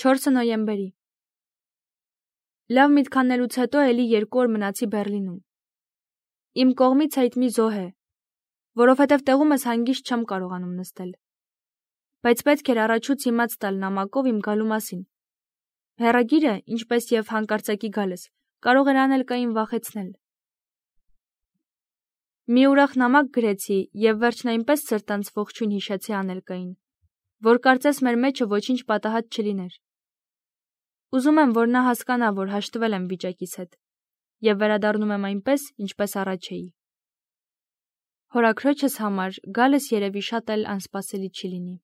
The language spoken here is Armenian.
4 նոյեմբերի։ Լավ միտք անելուց հետո էլի 2 օր մնացի Բեռլինում։ Իմ կողմից այդ մի զոհ է, որովհետև տեղումս հանգիստ չեմ կարողանում նստել։ Բայց պետք էր առաջուց իմաց տալ նամակով իմ գալու մասին։ Հեռագիրը, ինչպես եւ հանկարծակի գալս, կարող էր Անելկային վախեցնել։ Մի ուրախ նամակ գրեցի եւ վերջն այնպես սրտանց ողջույն հիշեցի Անելկային, որ կարծես մեր մեջը ոչինչ պատահած չլիներ։ Ուզում եմ, որ նա հասկանա, որ հաշտվել եմ վիճակիս հետ եւ վերադառնում եմ այնպես, ինչպես առաջ էի։ Հորաքրոջս համար գալս երևի շատ էլ անսպասելի չի լինի։